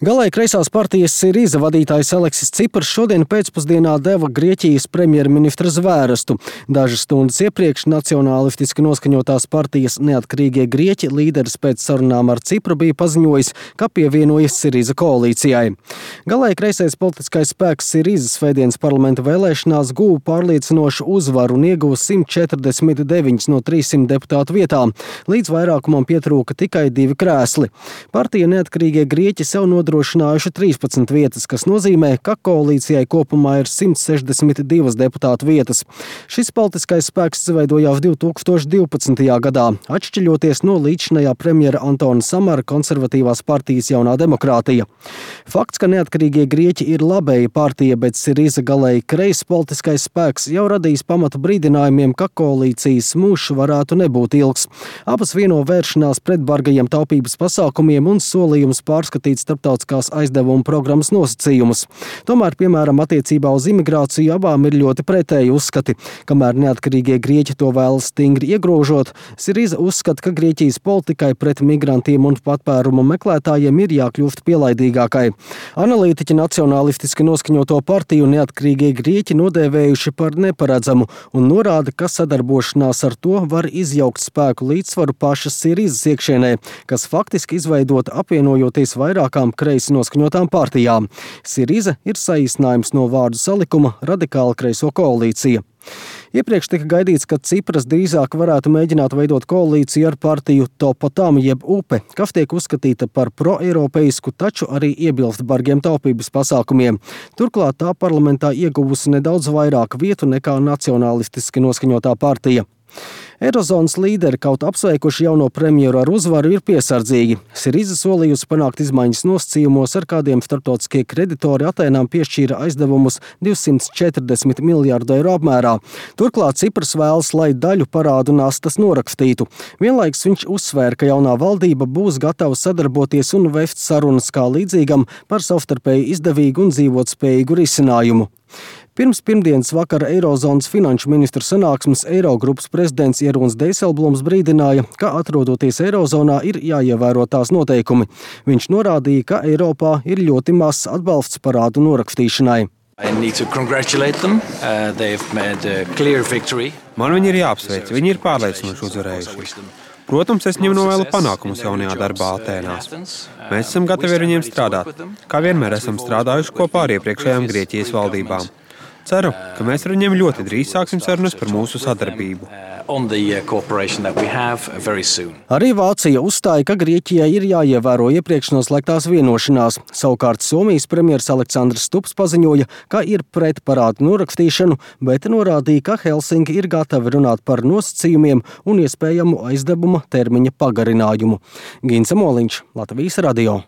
Galēji kreisās partijas Siriza vadītājs Aleksis Cipars šodien pēcpusdienā deva Grieķijas premjerministra zvērestu. Dažas stundas iepriekš nacionālistiski noskaņotās partijas Neatkarīgie Grieķi līderis pēc sarunām ar Cipru bija paziņojis, ka pievienojas Siriza koalīcijai. Galēji kreisais politiskais spēks Siriza svētdienas parlamenta vēlēšanās guva pārliecinošu uzvaru un ieguva 149 no 300 deputātu vietām. Līdz vairākumam pietrūka tikai 2 krēsli. Partija Neatkarīgie Grieķi sev nodrošinājuši 13 vietas, kas nozīmē, ka koalīcijai kopumā ir 162 deputātu vietas. Šis politiskais spēks izveidojās 2012. gadā, atšķiļoties no līdzinājā premjera Antona Samara konservatīvās partijas Jaunā demokrātija. Fakts, ka Neatkarīgie Grieķi ir labēja partija, bet Siriza galēji kreis politiskais spēks jau radīs pamatu brīdinājumiem, ka koalīcijas mūžs varētu nebūt ilgs. Abas vieno vēršanās pret bargajiem taupības pasākumiem un solījums pārskatīt starptautiskās aizdevuma programmas nosacījumus. Tomēr, piemēram, attiecībā uz imigrāciju abām ir ļoti pretēji uzskati. Kamēr Neatkarīgie Grieķi to vēlas stingri iegrožot, Siriza uzskata, ka Grieķijas politikai pret migrantiem un patvērumu meklētājiem ir jākļūst pielaidīgākai. Analītiķi nacionālistiski noskaņoto partiju Neatkarīgie Grieķi nodēvējuši par neparedzamu un norāda, ka sadarbošanās ar to var izjaukt spēku līdzsvaru pašas Sirizas iekšienē, kas faktiski izveidot apvienojoties vairākām kreisi noskaņotām partijām. Siriza ir saīsinājums no vārdu salikuma radikāla kreiso koalīcija. Iepriekš tika gaidīts, ka Cipras drīzāk varētu mēģināt veidot koalīciju ar partiju Topotam jeb UPE, kas tiek uzskatīta par proeiropeisku, taču arī iebilst bargiem taupības pasākumiem. Turklāt tā parlamentā ieguvusi nedaudz vairāk vietu nekā nacionālistiski noskaņotā partija. Eirozonas līderi, kaut apsveikuši jauno premjeru ar uzvaru, ir piesardzīgi. Siriza solījusi panākt izmaiņas nosacījumos, ar kādiem starptautiskie kreditori Atēnām piešķīra aizdevumus 240 miljārdu eiro apmērā. Turklāt Cipras vēlas, lai daļu parādu nastas norakstītu. Vienlaikus viņš uzsvēra, ka jaunā valdība būs gatava sadarboties un vest sarunas kā līdzīgam par savstarpēji izdevīgu un dzīvotspējīgu risinājumu. Pirms pirmdienas vakara Eirozonas finanšu ministru sanāksmes Eirogrupas prezidents Jeroens Dijsselbloems brīdināja, ka atrodoties Eirozonā ir jāievēro tās noteikumi. Viņš norādīja, ka Eiropā ir ļoti mazs atbalsts parādu norakstīšanai. Man viņi ir jāapsveic, viņi ir pārliecinoši uzvarējuši. Protams, es viņiem novēlu panākumus jaunajā darbā Atēnās. Mēs esam gatavi ar viņiem strādāt, kā vienmēr esam strādājuši kopā ar iepriekšējām Grieķijas valdībām. Ceru, ka mēs ar viņiem ļoti drīz sāksim sarunas par mūsu sadarbību. Arī Vācija uzstāja, ka Grieķijai ir jāievēro iepriekš noslēgtās vienošanās. Savukārt Somijas premjers Aleksandrs Stubs paziņoja, ka ir pret parādu norakstīšanu, bet norādīja, ka Helsinki ir gatavi runāt par nosacījumiem un iespējamu aizdevuma termiņa pagarinājumu. Gins Moliņš, Latvijas radio.